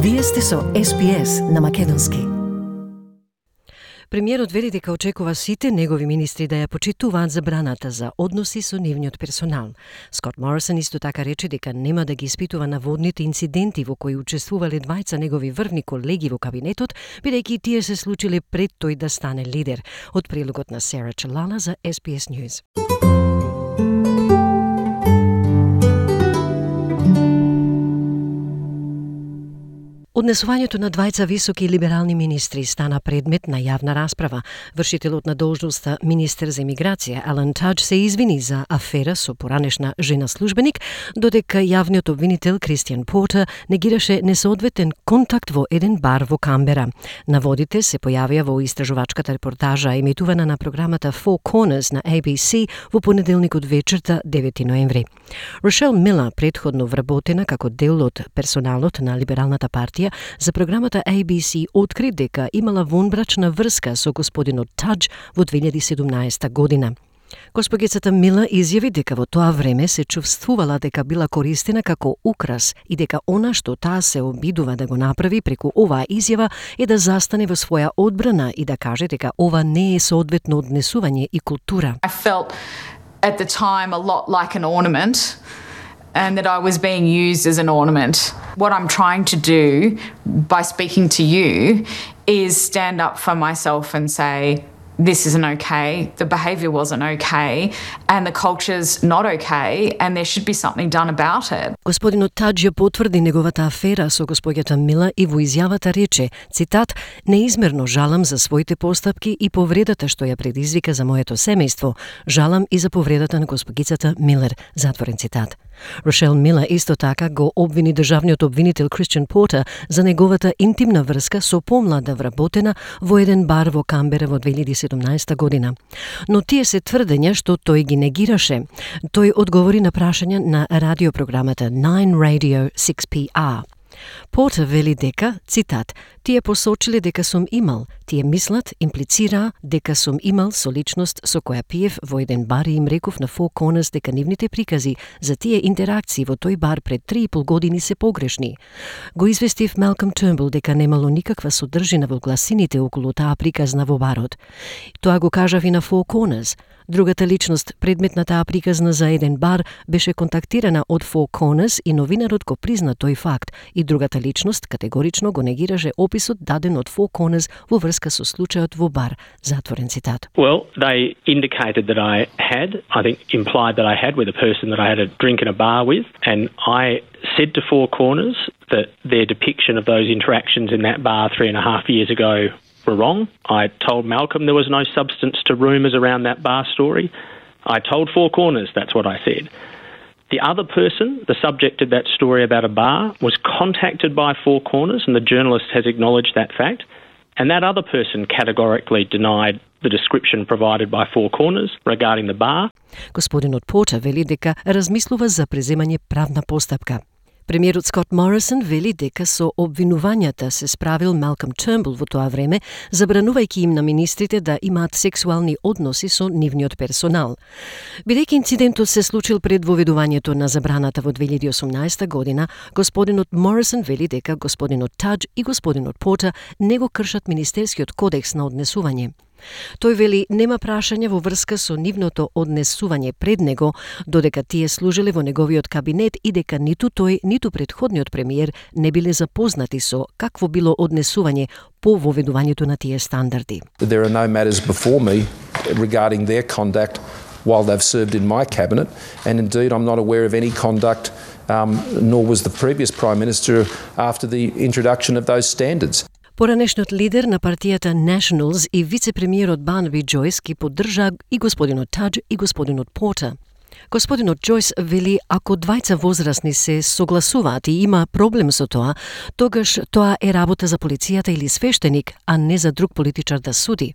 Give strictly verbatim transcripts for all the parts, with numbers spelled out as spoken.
Вие сте со Ес Би Ес на македонски. Премиерот вели дека очекува сите негови министри да ја почитуваат забраната за односи со нивниот персонал. Скот Морисон исто така рече дека нема да ги испитува наводните инциденти во кои учествувале двајца негови врвни колеги во кабинетот, бидејќи тие се случиле пред тој да стане лидер. Од прилогот на Сера Чалала за Ес Би Ес News. Однесувањето на двајца високи либерални министри стана предмет на јавна расправа. Вршителот на должноста министер за имиграција Алан Тадж се извини за афера со поранешна жена службеник, додека јавниот обвинител Кристијан Портер негираше несоодветен контакт во еден бар во Камбера. Наводите се појавија во истражувачката репортажа емитувана на програмата Four Corners на A B C во понеделникот вечерта девети ноември. Рошел Милер, предходно вработена како дел од персоналот на либералната партија, за програмата A B C откри дека имала вонбрачна врска со господинот Тадж во две илјади и седумнаесета година. Госпогицата Милер изјави дека во тоа време се чувствувала дека била користена како украс и дека она што таа се обидува да го направи преку оваа изјава е да застане во своја одбрана и да каже дека ова не е соодветно однесување и култура. I felt at the time a lot like an ornament, and that I was being used as an ornament. What I'm trying to do by speaking to you is stand up for myself and say, this isn't okay, the behaviour wasn't okay, and the culture's not okay, and there should be something done about it. Господинот Тадж ја потврди неговата афера со господјата Милер и во изјавата рече, цитат, неизмерно жалам за своите постапки и повредата што ја предизвика за моето семејство. Жалам и за повредата на госпогицата Милер, затворен цитат. Рошел Милер исто така го обвини државниот обвинител Кристијан Портер за неговата интимна врска со помлада вработена во еден бар во Камбера во две илјади и седумнаесета година. Но тие се тврдења што тој ги негираше. Тој одговори на прашања на радиопрограмата Nine Radio six P R. Портер вели дека, цитат, тие посочиле дека сум имал, тие мислат, имплицира дека сум имал со личност со која пиев во еден бар и им реков на Four Corners дека нивните прикази за тие интеракции во тој бар пред три и пол години се погрешни. Го известив Малком Тернбул дека немало никаква содржина во гласините околу таа приказна во барот. Тоа го кажав и на Four Corners. Другата личност, предмет на таа приказна за еден бар, беше контактирана од Four Corners и новинарот го призна тој факт, и другата личност категорично го негираше описот даден од Four Corners во врска со случајот во бар. Затворен цитат. Well, they indicated that I had, I think implied that I had with a person that I had a drink in a bar with, and I said to Four Corners that their depiction of those interactions in that bar three and a half years ago were wrong. I told Malcolm there was no substance to rumours around that bar story. I told Four Corners that's what I said. The other person, the subject of that story about a bar, was contacted by Four Corners, and the journalist has acknowledged that fact, and that other person categorically denied the description provided by Four Corners regarding the bar. Господинот Портер вели дека размислува за преземање правна постапка. Премиерот Скот Морисон вели дека со обвинувањата се справил Малком Тернбул во тоа време, забранувајќи им на министрите да имаат сексуални односи со нивниот персонал. Бидејќи инцидентот се случил пред воведувањето на забраната во две илјади и осумнаесета година, господинот Морисон вели дека господинот Тадж и господинот Портер не го кршат Министерскиот кодекс на однесување. Тој вели нема прашање во врска со нивното однесување пред него, додека тие служиле во неговиот кабинет и дека ниту тој, ниту предходниот премиер не биле запознати со какво било однесување по воведувањето на тие стандарди. There are no matters before me regarding their conduct while they've served in my cabinet, and indeed I'm not aware of any conduct um, nor was the previous Prime Minister after the introduction of those standards. Поранешниот лидер на партијата Nationals и вице-премиерот Барнаби Џојс ги поддржа и господинот Тадж и господинот Портер. Господинот Џојс вели ако двајца возрастни се согласуваат и има проблем со тоа, тогаш тоа е работа за полицијата или свештеник, а не за друг политичар да суди.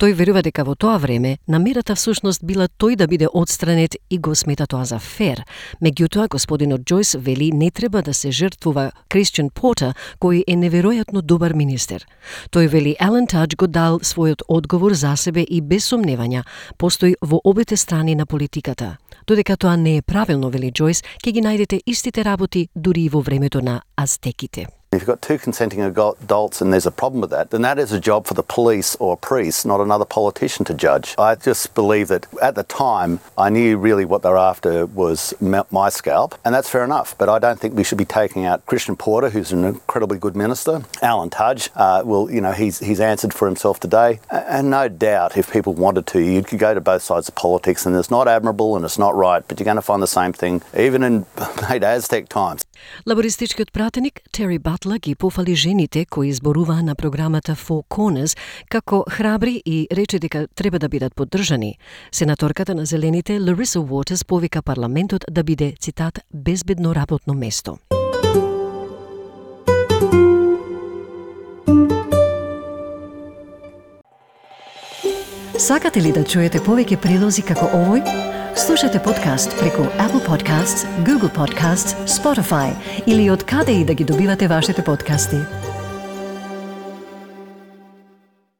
Тој верува дека во тоа време намерата всушност била тој да биде отстранет и го смета тоа за фер. Меѓутоа, господинот Џојс вели не треба да се жртвува Кристијан Портер, кој е неверојатно добар министер. Тој вели Алан Тадж го дал својот одговор за себе и без сомневања постои во обете страни на политиката. Додека тоа не е правилно, вели Џојс, ќе ги најдете истите работи дури и во времето на азтеките. If you've got two consenting adults and there's a problem with that, then that is a job for the police or a priest, not another politician to judge. I just believe that at the time, I knew really what they were after was my scalp, and that's fair enough. But I don't think we should be taking out Christian Porter, who's an incredibly good minister. Alan Tudge, uh, well, you know, he's he's answered for himself today. And no doubt, if people wanted to, you could go to both sides of politics, and it's not admirable and it's not right, but you're going to find the same thing, even in late Aztec times. Лабористичкиот пратеник Тери Батла ги пофали жените кои зборуваа на програмата Four Corners како храбри и рече дека треба да бидат поддржани. Сенаторката на Зелените Лариса Уотерс повика парламентот да биде, цитат, безбедно работно место. Сакате ли да чуете повеќе прилози како овој? Слушате подкаст преку Apple Podcasts, Google Podcasts, Spotify или од каде и да ги добивате вашите подкасти.